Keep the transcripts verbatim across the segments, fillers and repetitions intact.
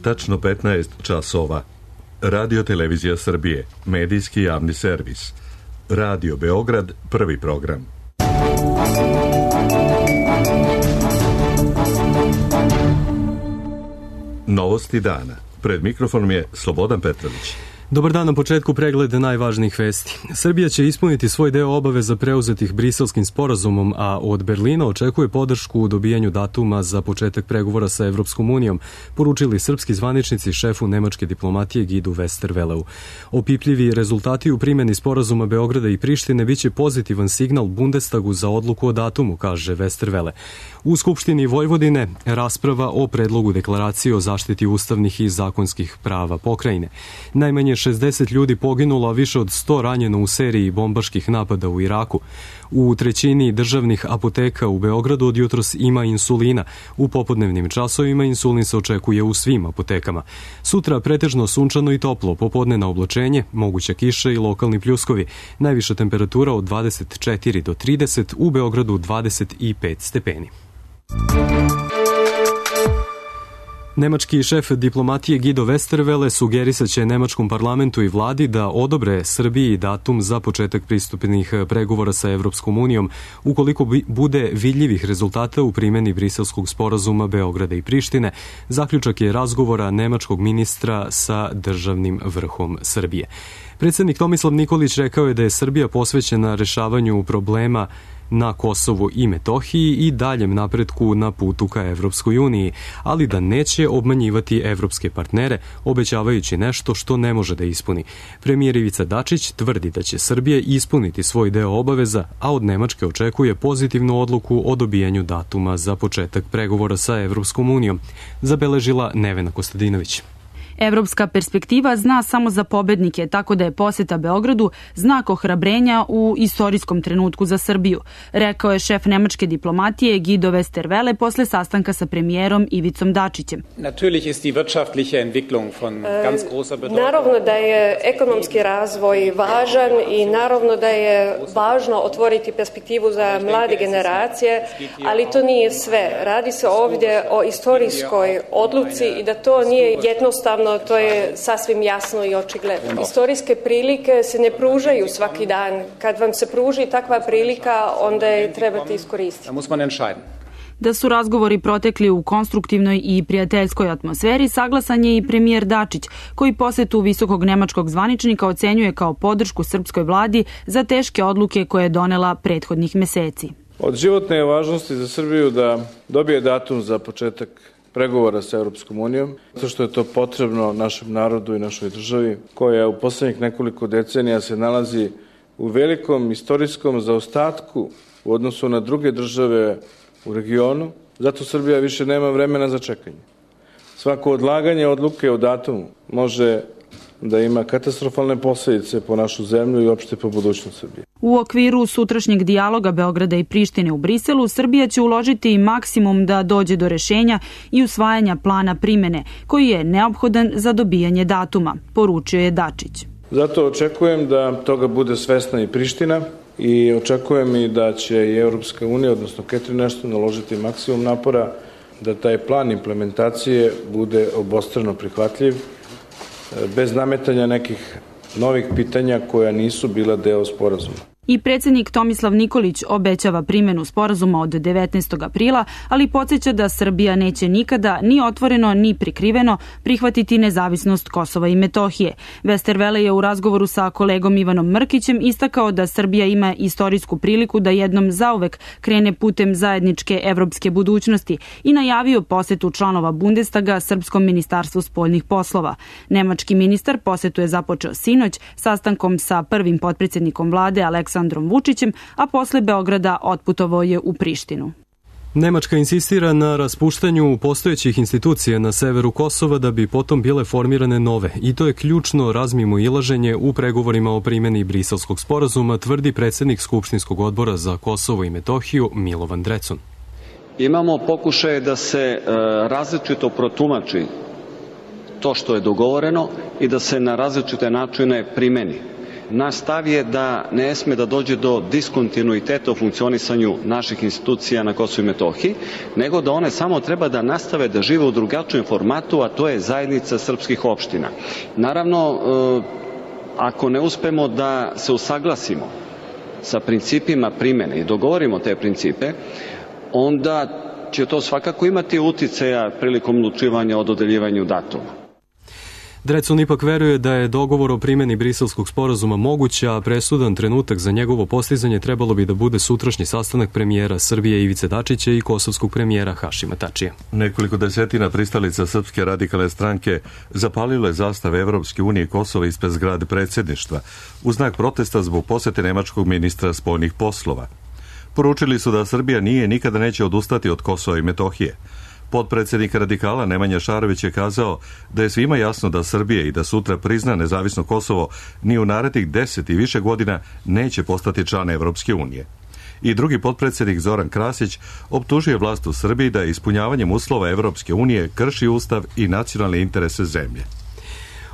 tačno petnaest časova. Radio Televizija Srbije, medijski javni servis. Radio Beograd, prvi program. Novosti dana. Pred mikrofonom je Slobodan Petrović. Dobar dan, na početku pregled najvažnijih vesti. Srbija će ispuniti svoj deo obaveza preuzetih Briselskim sporazumom, a od Berlina očekuje podršku u dobijanju datuma za početak pregovora sa Evropskom unijom, poručili srpski zvaničnici šefu nemačke diplomatije Guidu Westerwelleu. Opipljivi rezultati u primjeni sporazuma Beograda i Prištine biće pozitivan signal Bundestagu za odluku o datumu, kaže Westerwelle. U Skupštini Vojvodine rasprava o predlogu deklaracije o zaštiti ustavnih i zakonskih prava pokrajine. Najmanje šezdeset ljudi poginulo, a više od sto ranjeno u seriji bombaških napada u Iraku. U trećini državnih apoteka u Beogradu od jutros ima insulina. U popodnevnim časovima insulin se očekuje u svim apotekama. Sutra pretežno sunčano i toplo, popodnevno oblačenje, moguća kiša i lokalni pljuskovi. Najviša temperatura od dvadeset četiri do trideset, u Beogradu dvadeset pet stepeni. Nemački šef diplomatije Guido Westerwelle sugerisaće nemačkom parlamentu i vladi da odobre Srbiji datum za početak pristupnih pregovora sa Evropskom unijom ukoliko bude vidljivih rezultata u primjeni Briselskog sporazuma Beograda i Prištine. Zaključak je razgovora nemačkog ministra sa državnim vrhom Srbije. Predsjednik Tomislav Nikolić rekao je da je Srbija posvećena rešavanju problema na Kosovu i Metohiji i daljem napretku na putu ka Evropskoj uniji, ali da neće obmanjivati evropske partnere, obećavajući nešto što ne može da ispuni. Premijer Ivica Dačić tvrdi da će Srbija ispuniti svoj deo obaveza, a od Nemačke očekuje pozitivnu odluku o dobijanju datuma za početak pregovora sa Evropskom unijom, zabeležila Nevena Kostadinović. Evropska perspektiva zna samo za pobednike, tako da je poseta Beogradu znak ohrabrenja u istorijskom trenutku za Srbiju, rekao je šef nemačke diplomatije Guido Westerwelle posle sastanka sa premijerom Ivicom Dačićem. Naravno da je ekonomski razvoj važan i naravno da je važno otvoriti perspektivu za mlade generacije, ali to nije sve. Radi se ovdje o istorijskoj odluci i da to nije jednostavno. To je sasvim jasno i očigledno. Istorijske prilike se ne pružaju svaki dan. Kad vam se pruži takva prilika, onda je trebate iskoristiti. Da su razgovori protekli u konstruktivnoj i prijateljskoj atmosferi, saglasan je i premijer Dačić, koji posetu visokog nemačkog zvaničnika ocenjuje kao podršku srpskoj vladi za teške odluke koje je donela prethodnih meseci. Od životne je važnosti za Srbiju da dobije datum za početak pregovora sa Evropskom unijom, zato što je to potrebno našem narodu i našoj državi, koja u poslednjih nekoliko decenija se nalazi u velikom istorijskom zaostatku u odnosu na druge države u regionu. Zato Srbija više nema vremena za čekanje. Svako odlaganje odluke o datumu može da ima katastrofalne posljedice po našu zemlju i opšte po budućnost Srbije. U okviru sutrašnjeg dijaloga Beograda i Prištine u Briselu, Srbija će uložiti i maksimum da dođe do rešenja i usvajanja plana primene, koji je neophodan za dobijanje datuma, poručio je Dačić. Zato očekujem da toga bude svesna i Priština i očekujem i da će i Evropska unija, odnosno Catherine Ashton, naložiti maksimum napora da taj plan implementacije bude obostrano prihvatljiv, bez nametanja nekih novih pitanja koja nisu bila deo sporazuma. I predsjednik Tomislav Nikolić obećava primjenu sporazuma od devetnaestog aprila, ali podsjeća da Srbija neće nikada ni otvoreno ni prikriveno prihvatiti nezavisnost Kosova i Metohije. Westerwelle je u razgovoru sa kolegom Ivanom Mrkićem istakao da Srbija ima istorijsku priliku da jednom zauvek krene putem zajedničke evropske budućnosti i najavio posetu članova Bundestaga Srpskom ministarstvu spoljnih poslova. Nemački ministar posetu je započeo sinoć sastankom sa prvim potpredsjednikom vlade Aleksandrom Aleksandrom Vučićem, a posle Beograda otputovao je u Prištinu. Nemačka insistira na raspuštanju postojećih institucija na severu Kosova da bi potom bile formirane nove i to je ključno razmimoilaženje u pregovorima o primjeni Briselskog sporazuma, tvrdi predsjednik Skupštinskog odbora za Kosovo i Metohiju Milovan Drecun. Imamo pokušaje da se e, različito protumači to što je dogovoreno i da se na različite načine primeni. Naš stav je da ne sme da dođe do diskontinuiteta u funkcionisanju naših institucija na Kosovu i Metohiji, nego da one samo treba da nastave da žive u drugačijem formatu, a to je zajednica srpskih opština. Naravno, ako ne uspemo da se usaglasimo sa principima primene i dogovorimo te principe, onda će to svakako imati uticaja prilikom odlučivanja o dodeljivanju datuma. Drecun ipak veruje da je dogovor o primjeni Briselskog sporazuma moguć, a presudan trenutak za njegovo postizanje trebalo bi da bude sutrašnji sastanak premijera Srbije Ivice Dačića i kosovskog premijera Hašima Tačija. Nekoliko desetina pristalica Srpske radikalne stranke zapalilo je zastave Evropske unije Kosova ispred zgrade predsjedništva u znak protesta zbog posete nemačkog ministra spoljnih poslova. Poručili su da Srbija nije i nikada neće odustati od Kosova i Metohije. Potpredsjednik radikala Nemanja Šarović je kazao da je svima jasno da Srbija i da sutra prizna nezavisno Kosovo ni u narednih deset i više godina neće postati član Evropske unije. I drugi potpredsjednik Zoran Krasić optužuje vlast u Srbiji da ispunjavanjem uslova Evropske unije krši ustav i nacionalne interese zemlje.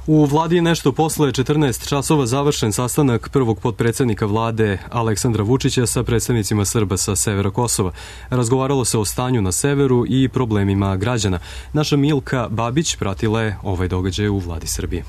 U vladi je nešto posle četrnaest časova završen sastanak prvog potpredsjednika vlade Aleksandra Vučića sa predstavnicima Srba sa severa Kosova. Razgovaralo se o stanju na severu i problemima građana. Naša Milka Babić pratila je ovaj događaj u vladi Srbije.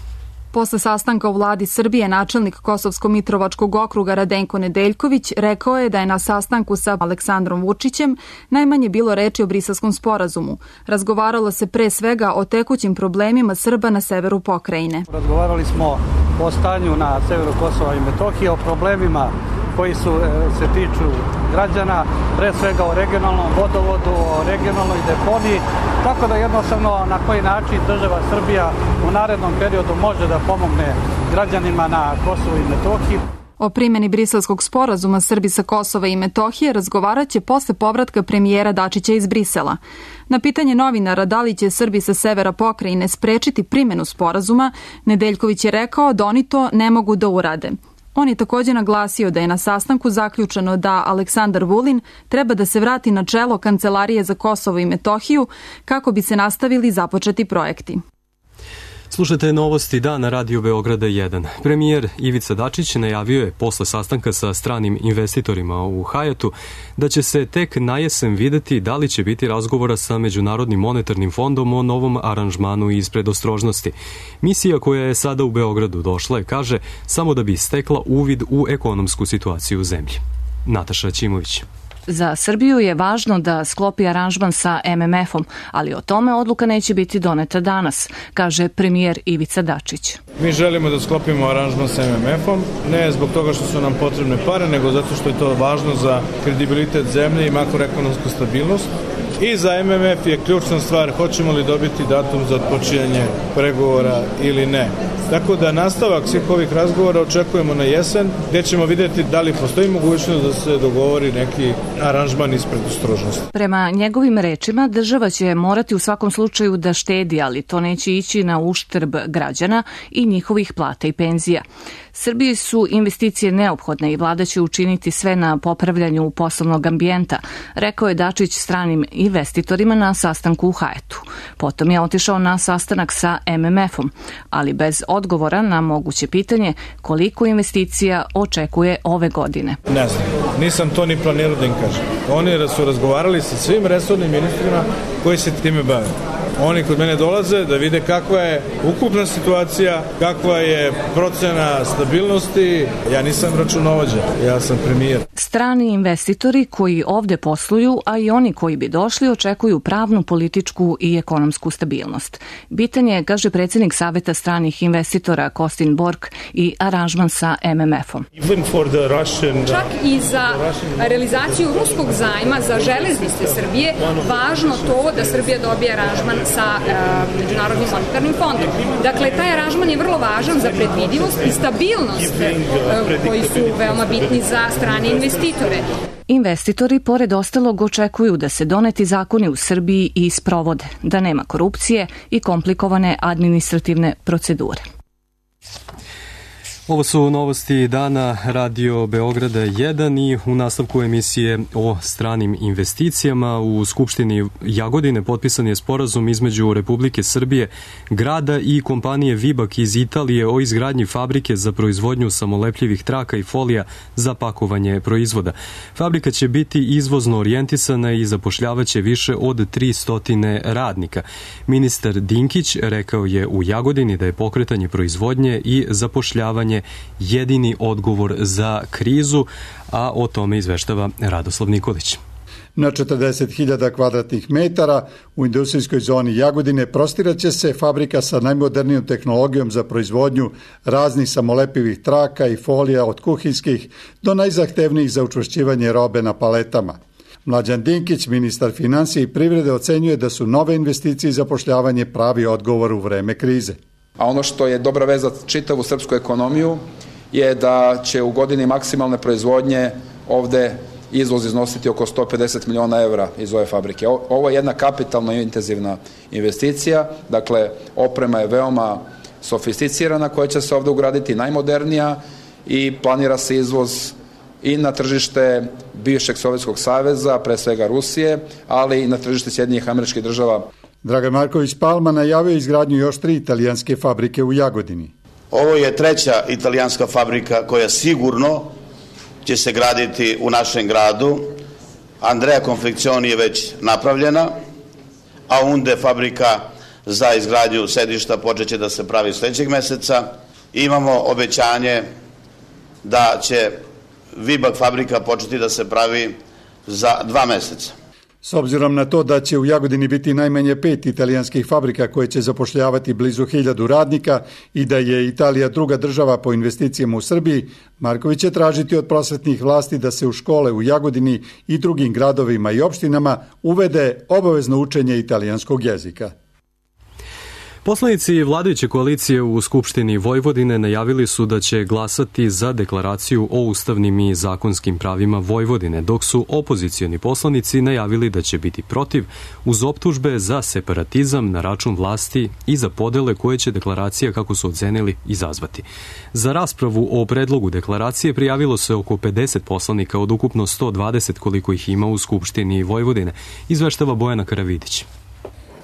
Posle sastanka u vladi Srbije, načelnik Kosovsko-Mitrovačkog okruga Radenko Nedeljković rekao je da je na sastanku sa Aleksandrom Vučićem najmanje bilo reči o Briselskom sporazumu. Razgovaralo se pre svega o tekućim problemima Srba na severu pokrajine. Razgovarali smo o stanju na severu Kosova i Metohije, o problemima koji su, se tiču građana, pre svega o regionalnom vodovodu, o regionalnoj deponiji, tako da jednostavno na koji način država Srbija u narednom periodu može da pomogne građanima na Kosovu i Metohiji. O primjeni Briselskog sporazuma Srbi sa Kosova i Metohije razgovarat će posle povratka premijera Dačića iz Brisela. Na pitanje novinara da li će Srbi sa severa pokrajine sprečiti primjenu sporazuma, Nedeljković je rekao da oni to ne mogu da urade. On je također naglasio da je na sastanku zaključeno da Aleksandar Vulin treba da se vrati na čelo Kancelarije za Kosovo i Metohiju kako bi se nastavili započeti projekti. Slušajte novosti dana Radio Beograda jedan. Premijer Ivica Dačić najavio je posle sastanka sa stranim investitorima u Hajatu da će se tek na jesen videti da li će biti razgovora sa Međunarodnim monetarnim fondom o novom aranžmanu iz predostrožnosti. Misija koja je sada u Beogradu došla je, kaže, samo da bi stekla uvid u ekonomsku situaciju u zemlji. Nataša Ćimović. Za Srbiju je važno da sklopi aranžman sa em em efom, ali o tome odluka neće biti doneta danas, kaže premijer Ivica Dačić. Mi želimo da sklopimo aranžman sa em em efom, ne zbog toga što su nam potrebne pare, nego zato što je to važno za kredibilitet zemlje i makroekonomsku stabilnost. I za em em ef je ključna stvar hoćemo li dobiti datum za odpočinjanje pregovora ili ne. Tako da nastavak svih ovih razgovora očekujemo na jesen, gdje ćemo vidjeti da li postoji mogućnost da se dogovori neki aranžman iz predostrožnosti. Prema njegovim rečima, država će morati u svakom slučaju da štedi, ali to neće ići na uštrb građana i njihovih plata i penzija. Srbiji su investicije neophodne i vlada će učiniti sve na popravljanju poslovnog ambijenta, rekao je Dačić stranim investitorima na sastanku u Hajetu. Potom je otišao na sastanak sa em em efom, ali bez odgovora na moguće pitanje koliko investicija očekuje ove godine. Ne znam, nisam to ni planirao da im kažem. Oni su razgovarali sa svim resornim ministrima koji se time bave. Oni kod mene dolaze da vide kakva je ukupna situacija, kakva je procena stabilnosti. Ja nisam računovođa, ja sam premijer. Strani investitori koji ovde posluju, a i oni koji bi došli, očekuju pravnu, političku i ekonomsku stabilnost. Bitan je, kaže predsjednik Saveta stranih investitora Kostin Bork, i aranžman sa em em efom. Čak i za realizaciju ruskog zajma za železnice Srbije, važno to da Srbija dobije aranžman sa e, Međunarodnim monetarnim fondom. Dakle, taj aranžman je vrlo važan za predvidivost i stabilnost e, koji su veoma bitni za strane investitore. Investitori, pored ostalog, očekuju da se doneti zakoni u Srbiji i sprovode, da nema korupcije i komplikovane administrativne procedure. Ovo su novosti dana Radio Beograda jedan i u nastavku emisije o stranim investicijama u Skupštini Jagodine potpisan je sporazum između Republike Srbije, grada i kompanije Vibak iz Italije o izgradnji fabrike za proizvodnju samolepljivih traka i folija za pakovanje proizvoda. Fabrika će biti izvozno orijentisana i zapošljavaće više od tristo radnika. Ministar Dinkić rekao je u Jagodini da je pokretanje proizvodnje i zapošljavanje jedini odgovor za krizu, a o tome izveštava Radoslav Nikolić. Na četrdeset hiljada kvadratnih metara u industrijskoj zoni Jagodine prostiraće se fabrika sa najmodernijom tehnologijom za proizvodnju raznih samolepivih traka i folija od kuhinskih do najzahtevnijih za učvršćivanje robe na paletama. Mlađan Dinkić, ministar finansija i privrede, ocenjuje da su nove investicije i zapošljavanje pravi odgovor u vreme krize. A ono što je dobra veza za čitavu srpsku ekonomiju je da će u godini maksimalne proizvodnje ovde izvoz iznositi oko sto pedeset miliona evra iz ove fabrike. Ovo je jedna kapitalna i intenzivna investicija, dakle oprema je veoma sofisticirana koja će se ovde ugraditi, najmodernija, i planira se izvoz i na tržište bivšeg Sovjetskog saveza, pre svega Rusije, ali i na tržište Sjedinjenih Američkih Država. Dragan Marković Palma najavio izgradnju još tri italijanske fabrike u Jagodini. Ovo je treća italijanska fabrika koja sigurno će se graditi u našem gradu. Andrea Confeccioni je već napravljena, a Unde fabrika za izgradnju sedišta počeće da se pravi sledećeg meseca. Imamo obećanje da će Vibak fabrika početi da se pravi za dva meseca. S obzirom na to da će u Jagodini biti najmanje pet italijanskih fabrika koje će zapošljavati blizu hiljadu radnika i da je Italija druga država po investicijama u Srbiji, Marković će tražiti od prosvetnih vlasti da se u škole u Jagodini i drugim gradovima i opštinama uvede obavezno učenje italijanskog jezika. Poslanici vladajuće koalicije u Skupštini Vojvodine najavili su da će glasati za deklaraciju o ustavnim i zakonskim pravima Vojvodine, dok su opozicioni poslanici najavili da će biti protiv uz optužbe za separatizam na račun vlasti i za podele koje će deklaracija, kako su ocenili, izazvati. Za raspravu o predlogu deklaracije prijavilo se oko pedeset poslanika od ukupno sto dvadeset koliko ih ima u Skupštini Vojvodine, izveštava Bojana Karavidić.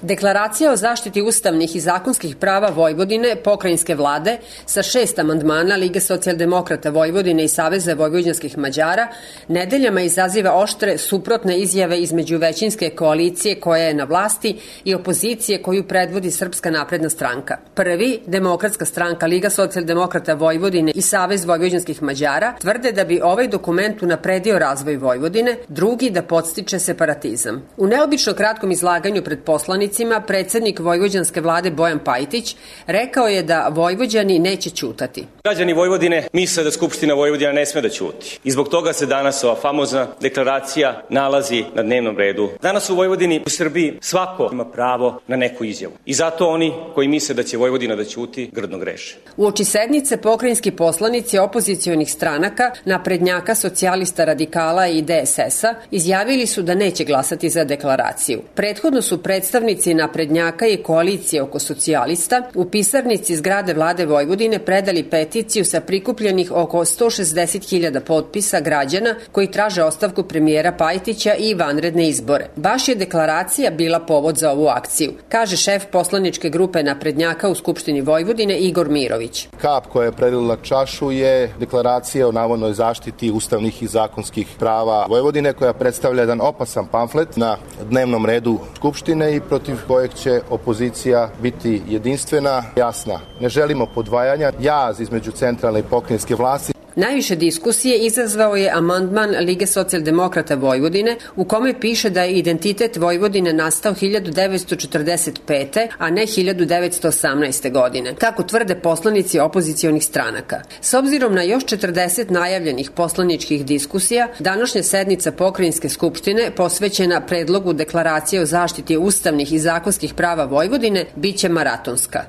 Deklaracija o zaštiti ustavnih i zakonskih prava Vojvodine, pokrajinske vlade, sa šest amandmana Lige socijaldemokrata Vojvodine i Saveza vojvođanskih Mađara, nedeljama izaziva oštre suprotne izjave između većinske koalicije koja je na vlasti i opozicije koju predvodi Srpska napredna stranka. Prvi, Demokratska stranka, Liga socijaldemokrata Vojvodine i Savez vojvođanskih Mađara, tvrde da bi ovaj dokument unapredio razvoj Vojvodine, drugi da podstiče separatizam. U neobično kratkom izlaganju pred poslanicima predsednik vojvođanske vlade Bojan Pajtić rekao je da Vojvođani neće ćutati. Građani Vojvodine misle da Skupština Vojvodina ne sme da ćuti. I zbog toga se danas ova famozna deklaracija nalazi na dnevnom redu. Danas u Vojvodini, u Srbiji, svako ima pravo na neku izjavu. I zato oni koji misle da će Vojvodina da ćuti, grdno greše. U oči sednice pokrajinski poslanici opozicionih stranaka, naprednjaka, socijalista, radikala i D S S-a izjavili su da neće glasati za deklaraciju. Prethodno su predstavnici naprednjaka i koalicije oko socijalista u pisarnici zgrade vlade Vojvodine predali peticiju sa prikupljenih oko sto šezdeset hiljada potpisa građana koji traže ostavku premijera Pajtića i vanredne izbore. Baš je deklaracija bila povod za ovu akciju, kaže šef poslaničke grupe naprednjaka u Skupštini Vojvodine Igor Mirović. Kap koja je prelila čašu je deklaracija o navodnoj zaštiti ustavnih i zakonskih prava Vojvodine, koja predstavlja jedan opasan pamflet na dnevnom redu Skupštine i protiv kojeg će opozicija biti jedinstvena, jasna. Ne želimo podvajanja, jaz između centralne i pokrajinske vlasti. Najviše diskusije izazvao je amandman Lige socijaldemokrata Vojvodine u kome piše da je identitet Vojvodine nastao hiljadu devetsto četrdeset pete. a ne hiljadu devetsto osamnaeste. godine, kako tvrde poslanici opozicionih stranaka. S obzirom na još četrdeset najavljenih poslaničkih diskusija, današnja sednica pokrajinske skupštine posvećena predlogu deklaracije o zaštiti ustavnih i zakonskih prava Vojvodine biće maratonska.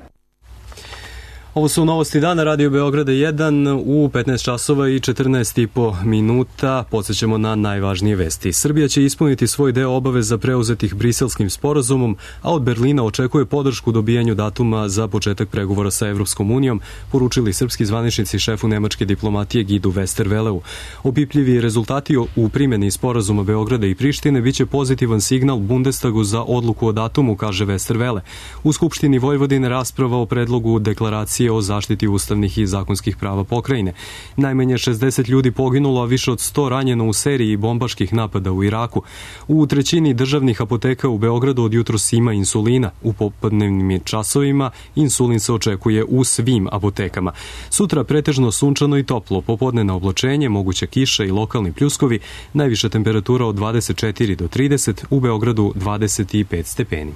Ovo su novosti dana, Radio Beograda jedan u petnaest časova i četrnaest i po minuta. Podsjećamo na najvažnije vesti. Srbija će ispuniti svoj deo obaveza preuzetih Briselskim sporazumom, a od Berlina očekuje podršku dobijanju datuma za početak pregovora sa Evropskom unijom, poručili srpski zvaničnici šefu nemačke diplomatije Gidu Westerveleu. Opipljivi rezultati u primjeni sporazuma Beograda i Prištine biće pozitivan signal Bundestagu za odluku o datumu, kaže Westerwelle. U Skupštini Vojvodine rasprava o predlogu deklaracije o zaštiti ustavnih i zakonskih prava pokrajine. Najmanje šezdeset ljudi poginulo, a više od sto ranjeno u seriji bombaških napada u Iraku. U trećini državnih apoteka u Beogradu od jutros ima insulina. U popodnevnim časovima insulin se očekuje u svim apotekama. Sutra pretežno sunčano i toplo, popodnevno oblačenje, moguća kiša i lokalni pljuskovi, najviša temperatura od dvadeset četiri do trideset, u Beogradu dvadeset pet stepeni.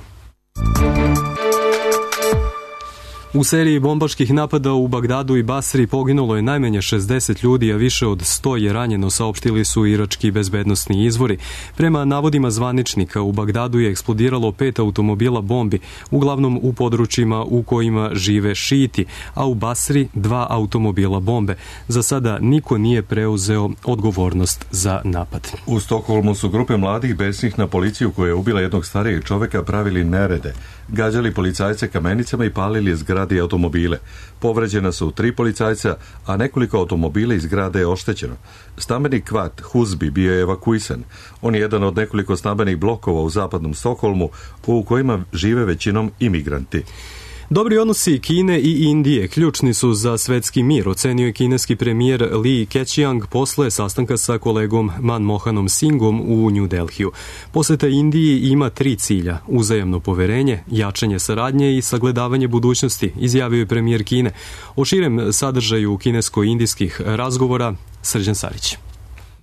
U seriji bombaških napada u Bagdadu i Basri poginulo je najmanje šezdeset ljudi, a više od sto je ranjeno, saopštili su irački bezbednosni izvori. Prema navodima zvaničnika, u Bagdadu je eksplodiralo pet automobila bombi, uglavnom u područjima u kojima žive šijiti, a u Basri dva automobila bombe. Za sada niko nije preuzeo odgovornost za napad. U Stokholmu su grupe mladih besnih na policiju koja je ubila jednog starijeg čoveka pravili nerede, gađali policajce kamenicama i palili zgrade i automobile. Povređena su tri policajca, a nekoliko automobila iz zgrade je oštećeno. Stambeni kvart Husby bio je evakuisan. On je jedan od nekoliko stambenih blokova u zapadnom Stokholmu u kojima žive većinom imigranti. Dobri odnosi Kine i Indije ključni su za svetski mir, ocenio je kineski premijer Li Keqiang posle sastanka sa kolegom Manmohanom Singhom u New Delhiju. Poseta Indiji ima tri cilja: uzajamno poverenje, jačanje saradnje i sagledavanje budućnosti, izjavio je premijer Kine. O širem sadržaju kinesko-indijskih razgovora Srđan Sarić.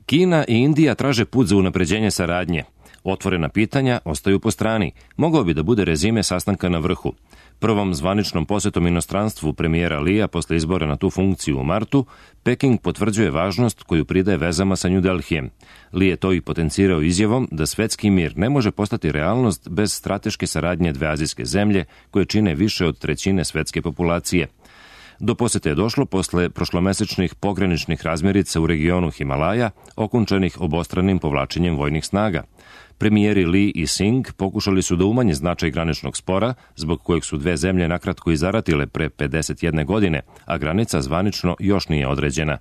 Kina i Indija traže put za unapređenje saradnje. Otvorena pitanja ostaju po strani. Mogao bi da bude rezime sastanka na vrhu. Prvom zvaničnom posetom inostranstvu premijera Lija posle izbora na tu funkciju u martu, Peking potvrđuje važnost koju pridaje vezama sa New Delhijem. Li je to i potencirao izjavom da svetski mir ne može postati realnost bez strateške saradnje dve azijske zemlje koje čine više od trećine svetske populacije. Do posete je došlo posle prošlomesečnih pograničnih razmirica u regionu Himalaja, okončanih obostranim povlačenjem vojnih snaga. Premijeri Li i Singh pokušali su da umanje značaj graničnog spora, zbog kojeg su dve zemlje nakratko i zaratile pre pedeset jedne godine, a granica zvanično još nije određena.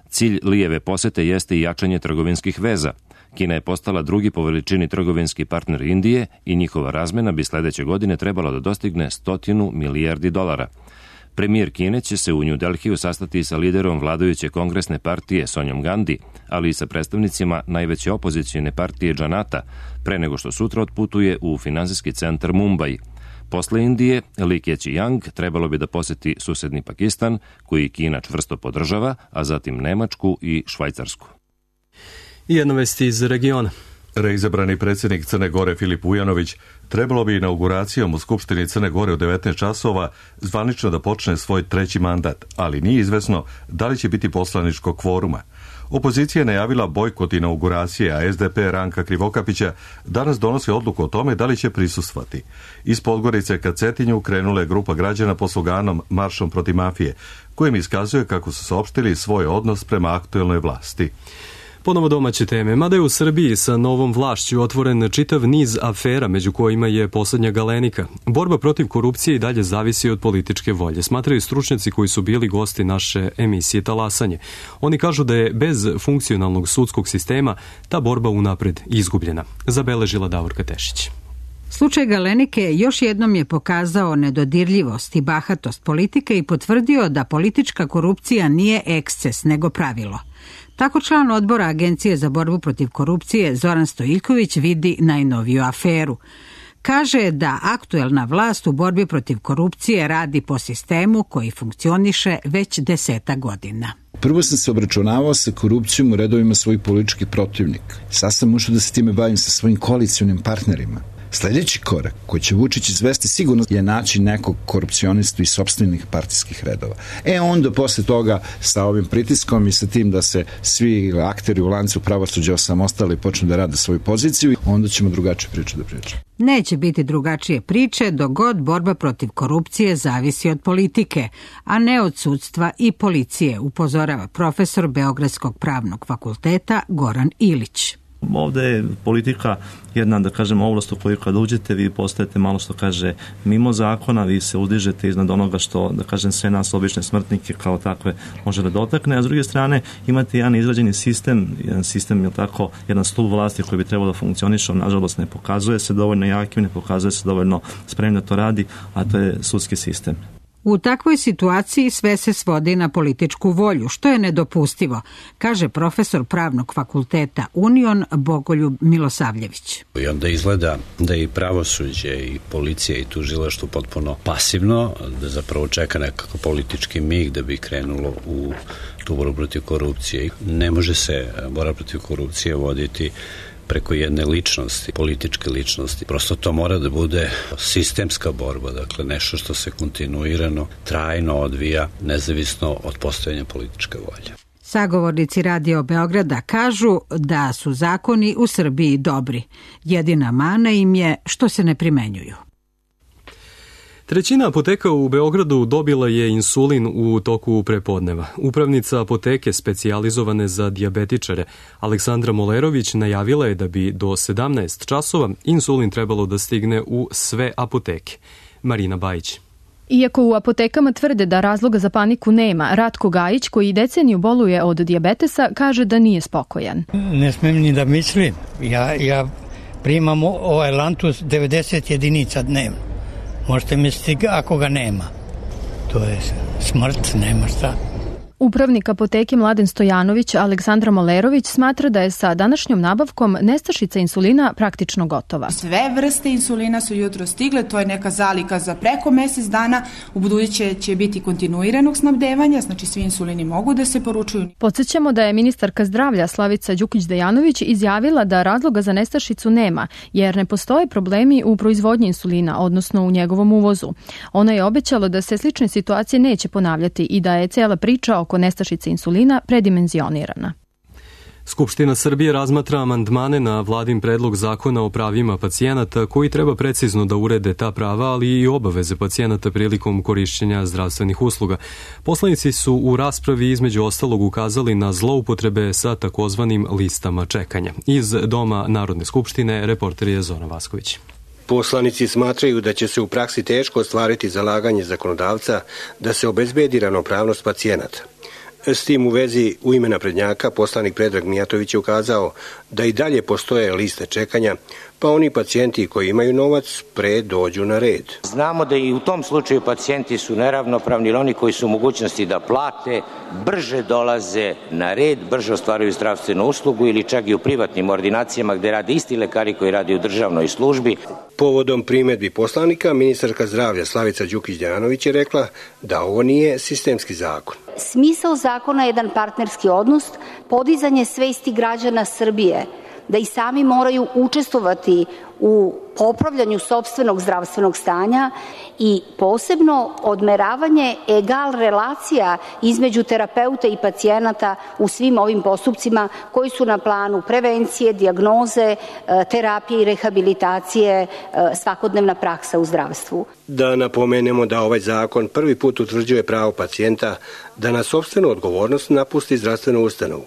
Cilj Lijeve posete jeste i jačanje trgovinskih veza. Kina je postala drugi po veličini trgovinski partner Indije i njihova razmena bi sledeće godine trebala da dostigne stotinu milijardi dolara. Premijer Kine će se u New Delhiju sastati sa liderom vladajuće kongresne partije Sonjom Gandhi, ali i sa predstavnicima najveće opozicijne partije Janata, pre nego što sutra otputuje u finansijski centar Mumbai. Posle Indije, Li Keqiang trebalo bi da poseti susedni Pakistan, koji Kina čvrsto podržava, a zatim Nemačku i Švajcarsku. I jedna vest iz regiona. Reizabrani predsjednik Crne Gore Filip Vujanović trebalo bi inauguracijom u Skupštini Crne Gore u devetnaest časova zvanično da počne svoj treći mandat, ali nije izvesno da li će biti poslaničkog kvoruma. Opozicija je najavila bojkot inauguracije, a es de pe Ranka Krivokapića danas donosi odluku o tome da li će prisustvati. Iz Podgorice ka Cetinju krenula je grupa građana pod sloganom Maršom protiv mafije, kojem iskazuje kako su saopštili svoj odnos prema aktuelnoj vlasti. Ponovo domaće teme. Mada je u Srbiji sa novom vlašću otvoren čitav niz afera, među kojima je poslednja Galenika. Borba protiv korupcije i dalje zavisi od političke volje, smatraju stručnjaci koji su bili gosti naše emisije Talasanje. Oni kažu da je bez funkcionalnog sudskog sistema ta borba unapred izgubljena. Zabeležila Davorka Tešić. Slučaj Galenike još jednom je pokazao nedodirljivost i bahatost politike i potvrdio da politička korupcija nije eksces, nego pravilo. Tako član odbora Agencije za borbu protiv korupcije Zoran Stojiljković vidi najnoviju aferu. Kaže da aktuelna vlast u borbi protiv korupcije radi po sistemu koji funkcioniše već deseta godina. Prvo sam se obračunavao sa korupcijom u redovima svojih političkih protivnika. Sad sam ušao da se time bavim sa svojim koalicionim partnerima. Sljedeći korak koji će Vučić izvesti sigurno je naći nekog korupcionistu iz sopstvenih partijskih redova. E onda posle toga sa ovim pritiskom i sa tim da se svi akteri u lancu pravosuđa osamostale i počnu da rade svoju poziciju, onda ćemo drugačije priče da pričamo. Neće biti drugačije priče dok god borba protiv korupcije zavisi od politike, a ne od sudstva i policije, upozorava profesor Beogradskog pravnog fakulteta Goran Ilić. Ovde je politika jedna, da kažem, ovlast u koju kad uđete vi postajete malo što kaže mimo zakona, vi se uzdižete iznad onoga što, da kažem, sve nas obične smrtnike kao takve može da dotakne, a s druge strane imate jedan izrađeni sistem, jedan sistem, je tako, jedan stup vlasti koji bi trebalo da funkcioniše, nažalost ne pokazuje se dovoljno jakim, ne pokazuje se dovoljno spremno da to radi, a to je sudski sistem. U takvoj situaciji sve se svodi na političku volju, što je nedopustivo, kaže profesor pravnog fakulteta Union Bogoljub Milosavljević. I onda izgleda da i pravosuđe i policija i tužilaštvo potpuno pasivno, da zapravo čeka nekakav politički mig da bi krenulo u tu borbu protiv korupcije. Ne može se borba protiv korupcije voditi preko jedne ličnosti, političke ličnosti. Prosto to mora da bude sistemska borba, dakle nešto što se kontinuirano, trajno odvija, nezavisno od postojanja političke volje. Sagovornici Radio Beograda kažu da su zakoni u Srbiji dobri. Jedina mana im je što se ne primenjuju. Trećina apoteka u Beogradu dobila je insulin u toku prepodneva. Upravnica apoteke specijalizovane za dijabetičare Aleksandra Molerović najavila je da bi do sedamnaest časova insulin trebalo da stigne u sve apoteke. Marina Bajić. Iako u apotekama tvrde da razloga za paniku nema, Ratko Gajić, koji deceniju boluje od dijabetesa, kaže da nije spokojan. Ne smem ni da mislim. Ja, ja primam ovaj Lantus devedeset jedinica dnevno. Možete misliti ako ga nema. To je smrt, nema šta. Upravnik apoteke Mladen Stojanović Aleksandra Molerović smatra da je sa današnjom nabavkom nestašica insulina praktično gotova. Sve vrste insulina su jutro stigle, to je neka zalika za preko mesec dana, u buduće će biti kontinuiranog snabdevanja, znači svi insulini mogu da se poručuju. Podsjećamo da je ministarka zdravlja Slavica Đukić-Dejanović izjavila da razloga za nestašicu nema, jer ne postoje problemi u proizvodnji insulina, odnosno u njegovom uvozu. Ona je obećala da se slične situacije neće ponavljati i da je cijela priča oko nestašice insulina predimenzionirana. Skupština Srbije razmatra amandmane na vladin predlog zakona o pravima pacijenata koji treba precizno da urede ta prava, ali i obaveze pacijenata prilikom korišćenja zdravstvenih usluga. Poslanici su u raspravi između ostalog ukazali na zloupotrebe sa takozvanim listama čekanja. Iz Doma Narodne skupštine reporter je Zoran Vasković. Poslanici smatraju da će se u praksi teško ostvariti zalaganje zakonodavca da se obezbedi ravnopravnost pacijenata. S tim u vezi u ime naprednjaka poslanik Predrag Mijatović je ukazao da i dalje postoje liste čekanja, pa oni pacijenti koji imaju novac pre dođu na red. Znamo da i u tom slučaju pacijenti su neravnopravni, ili oni koji su u mogućnosti da plate, brže dolaze na red, brže ostvaruju zdravstvenu uslugu ili čak i u privatnim ordinacijama gde rade isti lekari koji rade u državnoj službi. Povodom primedbi poslanika, ministarka zdravlja Slavica Đukić-Dejanović je rekla da ovo nije sistemski zakon. Smisao zakona je jedan partnerski odnos, podizanje svesti građana Srbije da i sami moraju učestvovati u popravljanju sopstvenog zdravstvenog stanja i posebno odmeravanje egal relacija između terapeuta i pacijenata u svim ovim postupcima koji su na planu prevencije, dijagnoze, terapije i rehabilitacije, svakodnevna praksa u zdravstvu. Da napomenemo da ovaj zakon prvi put utvrđuje pravo pacijenta da na sopstvenu odgovornost napusti zdravstvenu ustanovu.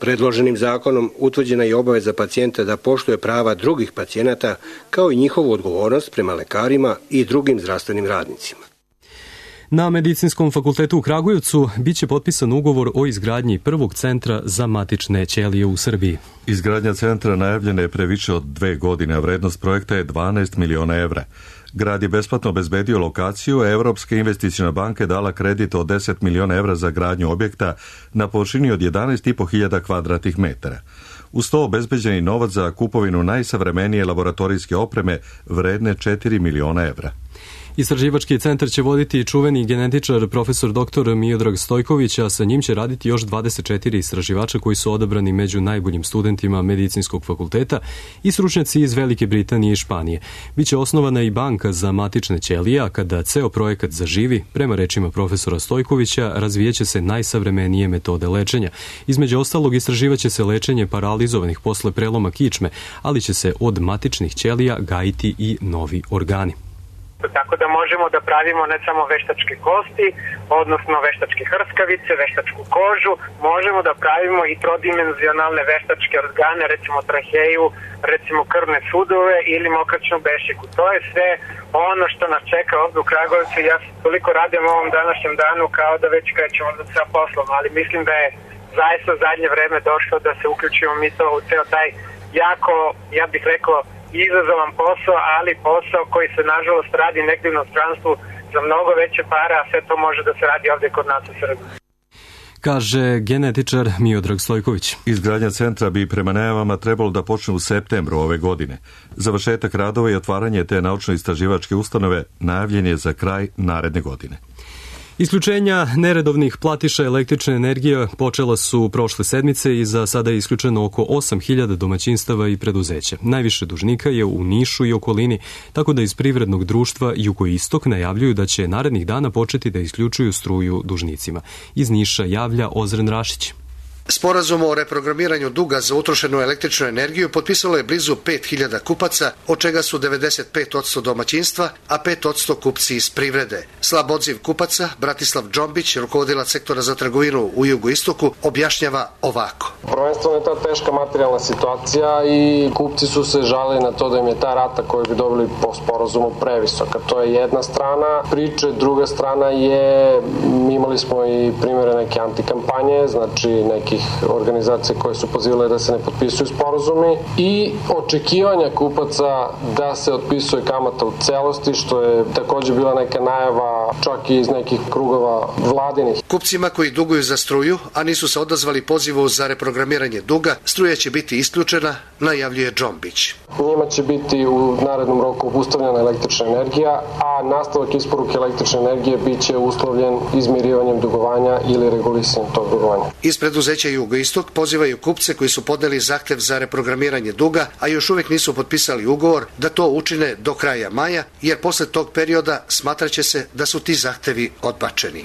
Predloženim zakonom utvrđena je obaveza pacijenta da poštuje prava drugih pacijenata kao i njihovu odgovornost prema lekarima i drugim zdravstvenim radnicima. Na Medicinskom fakultetu u Kragujevcu biće potpisan ugovor o izgradnji prvog centra za matične ćelije u Srbiji. Izgradnja centra najavljena je pre više od dve godine, a vrednost projekta je dvanaest miliona evra. Grad je besplatno obezbedio lokaciju, a Evropska investiciona banka je dala kredit od deset miliona evra za gradnju objekta na površini od jedanaest i po hiljada kvadratnih metara. Uz to obezbeđeni novac za kupovinu najsavremenije laboratorijske opreme vredne četiri miliona evra. Istraživački centar će voditi čuveni genetičar profesor doktor Miodrag Stojković, a sa njim će raditi još dvadeset četiri istraživača koji su odabrani među najboljim studentima medicinskog fakulteta i stručnjaci iz Velike Britanije i Španije. Biće osnovana i banka za matične ćelije, a kada ceo projekat zaživi, prema rečima profesora Stojkovića, razvijeće se najsavremenije metode lečenja. Između ostalog, istraživaće se lečenje paralizovanih posle preloma kičme, ali će se od matičnih ćelija gajiti i novi organi. Tako da možemo da pravimo ne samo veštačke kosti, odnosno veštačke hrskavice, veštačku kožu, možemo da pravimo i trodimenzionalne veštačke organe, recimo traheju, recimo krvne sudove ili mokraćnu bešiku. To je sve ono što nas čeka ovdje u Kragujevcu. Ja toliko radim u ovom današnjem danu kao da već krećemo sa poslom, ali mislim da je zaista zadnje vreme došlo da se uključimo mi to u ceo taj jako, ja bih rekao, izazovan posao, ali posao koji se nažalost radi negdje u inostranstvu za mnogo veće para, a sve to može da se radi ovdje kod nas u Srbiji. Kaže genetičar Miodrag Stojković. Izgradnja centra bi prema najavama trebalo da počne u septembru ove godine. Završetak radova i otvaranje te naučno-istraživačke ustanove najavljen je za kraj naredne godine. Isključenja neredovnih platiša električne energije počela su prošle sedmice i za sada je isključeno oko osam hiljada domaćinstava i preduzeća. Najviše dužnika je u Nišu i okolini, tako da iz privrednog društva Jugoistok najavljuju da će narednih dana početi da isključuju struju dužnicima. Iz Niša javlja Ozren Rašić. Sporazum o reprogramiranju duga za utrošenu električnu energiju potpisalo je blizu pet hiljada kupaca, od čega su devedeset pet posto domaćinstva, a pet posto kupci iz privrede. Slab odziv kupaca, Bratislav Džombić, rukovodilac sektora za trgovinu u Jugoistoku, objašnjava ovako. Prvenstveno je ta teška materijalna situacija i kupci su se žalili na to da im je ta rata koju bi dobili po sporazumu previsoka. To je jedna strana priče, druga strana je, imali smo i primjere neke antikampanje, znači neki organizacije koje su pozivale da se ne potpisuju sporazumi i očekivanja kupaca da se otpisuje kamata u celosti, što je također bila neka najava čak i iz nekih krugova vladinih. Kupcima koji duguju za struju, a nisu se odazvali pozivu za reprogramiranje duga, struja će biti isključena, najavljuje Džombić. Njima će biti u narednom roku obustavljena električna energija, a nastavak isporuke električne energije bit će uslovljen izmirivanjem dugovanja ili regulisanjem tog dugovanja. Iz preduzeća Jugoistok pozivaju kupce koji su podneli zahtev za reprogramiranje duga, a još uvijek nisu potpisali ugovor, da to učine do kraja maja, jer posle tog perioda smatraće se da su ti zahtevi odbačeni.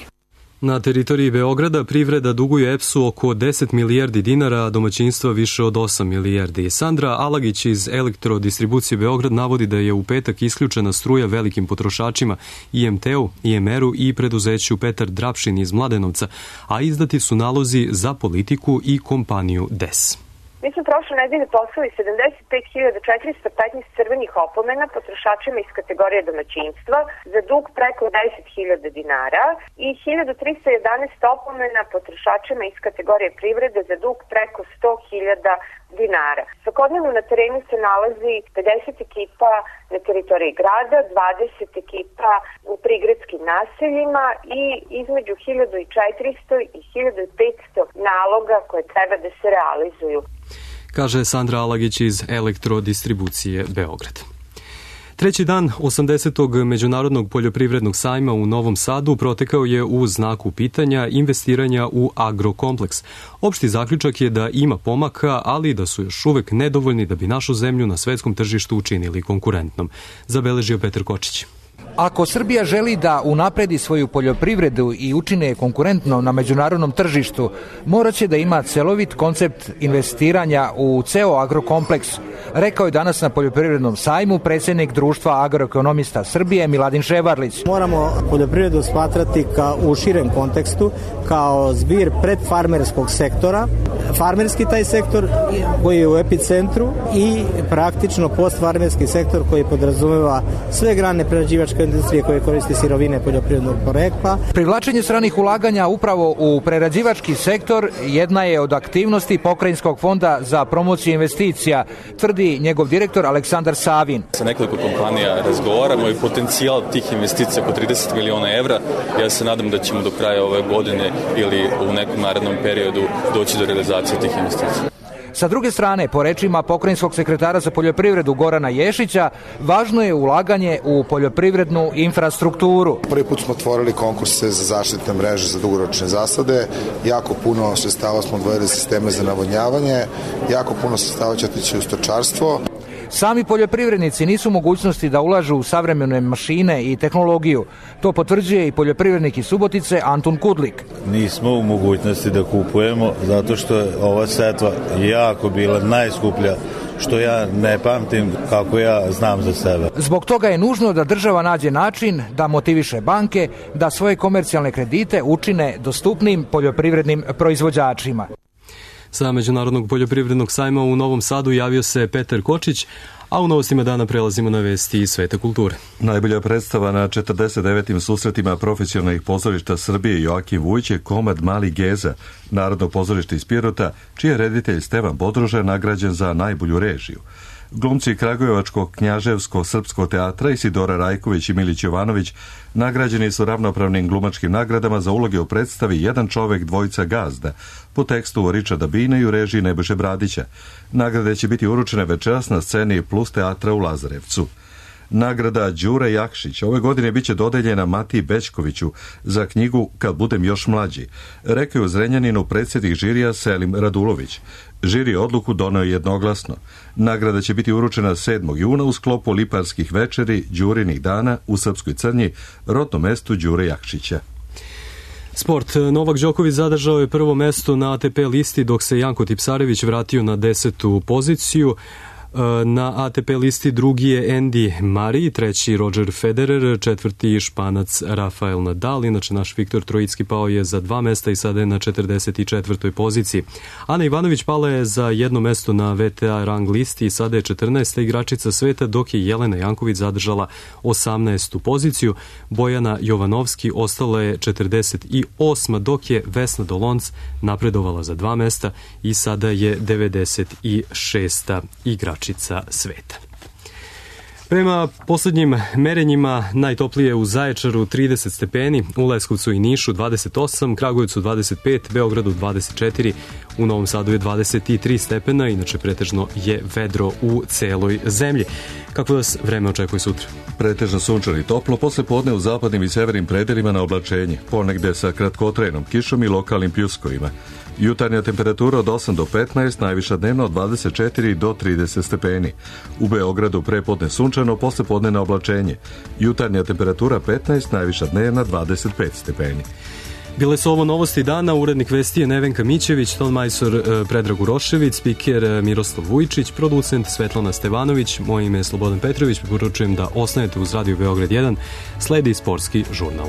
Na teritoriji Beograda privreda duguje E P S-u oko deset milijardi dinara, a domaćinstva više od osam milijardi. Sandra Alagić iz Elektrodistribucije Beograd navodi da je u petak isključena struja velikim potrošačima I M T-u, I M R-u i preduzeću Petar Drapšin iz Mladenovca, a izdati su nalozi za politiku i kompaniju D E S. Mi smo prošle nedelje poslali sedamdeset pet hiljada četiristo petnaest crvenih opomena potrošačima iz kategorije domaćinstva za dug preko deset hiljada dinara i hiljadu trista jedanaest opomena potrošačima iz kategorije privrede za dug preko sto hiljada dinara. Svakodnevno na terenu se nalazi pedeset ekipa na teritoriji grada, dvadeset ekipa u prigradskim naseljima i između hiljadu četiristo i hiljadu petsto naloga koje treba da se realizuju. Kaže Sandra Alagić iz Elektrodistribucije Beograd. Treći dan osamdesetog Međunarodnog poljoprivrednog sajma u Novom Sadu protekao je u znaku pitanja investiranja u agrokompleks. Opšti zaključak je da ima pomaka, ali da su još uvek nedovoljni da bi našu zemlju na svetskom tržištu učinili konkurentnom. Zabeležio Petar Kočić. Ako Srbija želi da unapredi svoju poljoprivredu i učine je konkurentno na međunarodnom tržištu, moraće da ima celovit koncept investiranja u ceo agrokompleks, rekao je danas na poljoprivrednom sajmu predsjednik Društva agroekonomista Srbije Miladin Ševarlić. Moramo poljoprivredu smatrati kao u širem kontekstu, kao zbir predfarmerskog sektora, farmerski taj sektor koji je u epicentru i praktično postfarmerski sektor koji podrazumeva sve grane prerađivačke industrije koje koristi sirovine poljoprivrednog porekla. Privlačenje stranih ulaganja upravo u prerađivački sektor jedna je od aktivnosti Pokrajinskog fonda za promociju investicija, tvrdi njegov direktor Aleksandar Savin. Sa nekoliko kompanija razgovaramo i potencijal tih investicija oko trideset miliona evra. Ja se nadam da ćemo do kraja ove godine ili u nekom narednom periodu doći do realizacije tih investicija. Sa druge strane, po rečima pokrajinskog sekretara za poljoprivredu Gorana Ješića, važno je ulaganje u poljoprivrednu infrastrukturu. Prvi put smo otvorili konkurse za zaštitne mreže za dugoročne zasade, jako puno sredstava smo odvojili sisteme za navodnjavanje, jako puno sredstava će otići u stočarstvo. Sami poljoprivrednici nisu u mogućnosti da ulažu u savremene mašine i tehnologiju. To potvrđuje i poljoprivrednik iz Subotice Antun Kudlik. Nismo u mogućnosti da kupujemo zato što je ova setva jako bila najskuplja, što ja ne pamtim kako ja znam za sebe. Zbog toga je nužno da država nađe način da motiviše banke da svoje komercijalne kredite učine dostupnim poljoprivrednim proizvođačima. Sa Međunarodnog poljoprivrednog sajma u Novom Sadu javio se Petar Kočić, a u novostima dana prelazimo na vesti iz sveta kulture. Najbolja predstava na četrdeset devetim susretima profesionalnih pozorišta Srbije Joakim Vujić je komad Mali Geza, Narodno pozorište iz Pirota, čiji je reditelj Stevan Bodroža nagrađen za najbolju režiju. Glumci Kragujevačkog knjaževsko-srpskog teatra Isidora Rajković i Milić Jovanović nagrađeni su ravnopravnim glumačkim nagradama za uloge u predstavi Jedan čovek, dvojica gazda, po tekstu Ričarda Bina i u režiji Nebojše Bradića. Nagrade će biti uručene večeras na sceni Plus teatra u Lazarevcu. Nagrada Đure Jakšić ove godine biće dodeljena Matiji Bećkoviću za knjigu Kad budem još mlađi, rekao je u Zrenjaninu predsjednik žirija Selim Radulović. Žiri odluku doneo jednoglasno. Nagrada će biti uručena sedmog juna u sklopu Liparskih večeri Đurinih dana u Srpskoj Crnji, rodnom mestu Đure Jakšića. Sport. Novak Đoković zadržao je prvo mesto na A T P listi, dok se Janko Tipsarević vratio na desetu poziciju. Na A T P listi drugi je Andy Murray, treći Roger Federer, četvrti Španac Rafael Nadal. Inače, naš Viktor Trojicki pao je za dva mesta i sada je na četrdeset četvrtoj poziciji. Ana Ivanović pala je za jedno mesto na V T A rang listi i sada je četrnaesta igračica sveta, dok je Jelena Janković zadržala osamnaestu poziciju. Bojana Jovanovski ostala je četrdeset osma, dok je Vesna Dolonc napredovala za dva mesta i sada je devedeset šesta igračica sveta. Prema poslednjim merenjima najtoplije u Zaječaru trideset stepeni, u Leskovcu i Nišu dvadeset osam, Kragujevcu dvadeset pet, Beogradu dvadeset četiri, u Novom Sadu je dvadeset tri stepena, inače pretežno je vedro u celoj zemlji. Kako vas vreme očekuje sutra? Pretežno sunčano i toplo, posle podne u zapadnim i severnim predelima na oblačenje, ponegde sa kratkotrajnom kišom i lokalnim pljuskovima. Jutarnja temperatura od osam do petnaest, najviša dnevno od dvadeset četiri do trideset stepeni. U Beogradu prepodne sunčano, posle podne na oblačenje. Jutarnja temperatura petnaest, najviša dnevna dvadeset pet stepeni. Bile su ovo novosti dana, urednik vesti je Nevenka Mićević, tonmajstor Predrag Urošević, spiker Miroslav Vujčić, producent Svetlana Stevanović, moje ime je Slobodan Petrović, poručujem da ostanete uz Radio Beograd jedan, sledi sportski žurnal.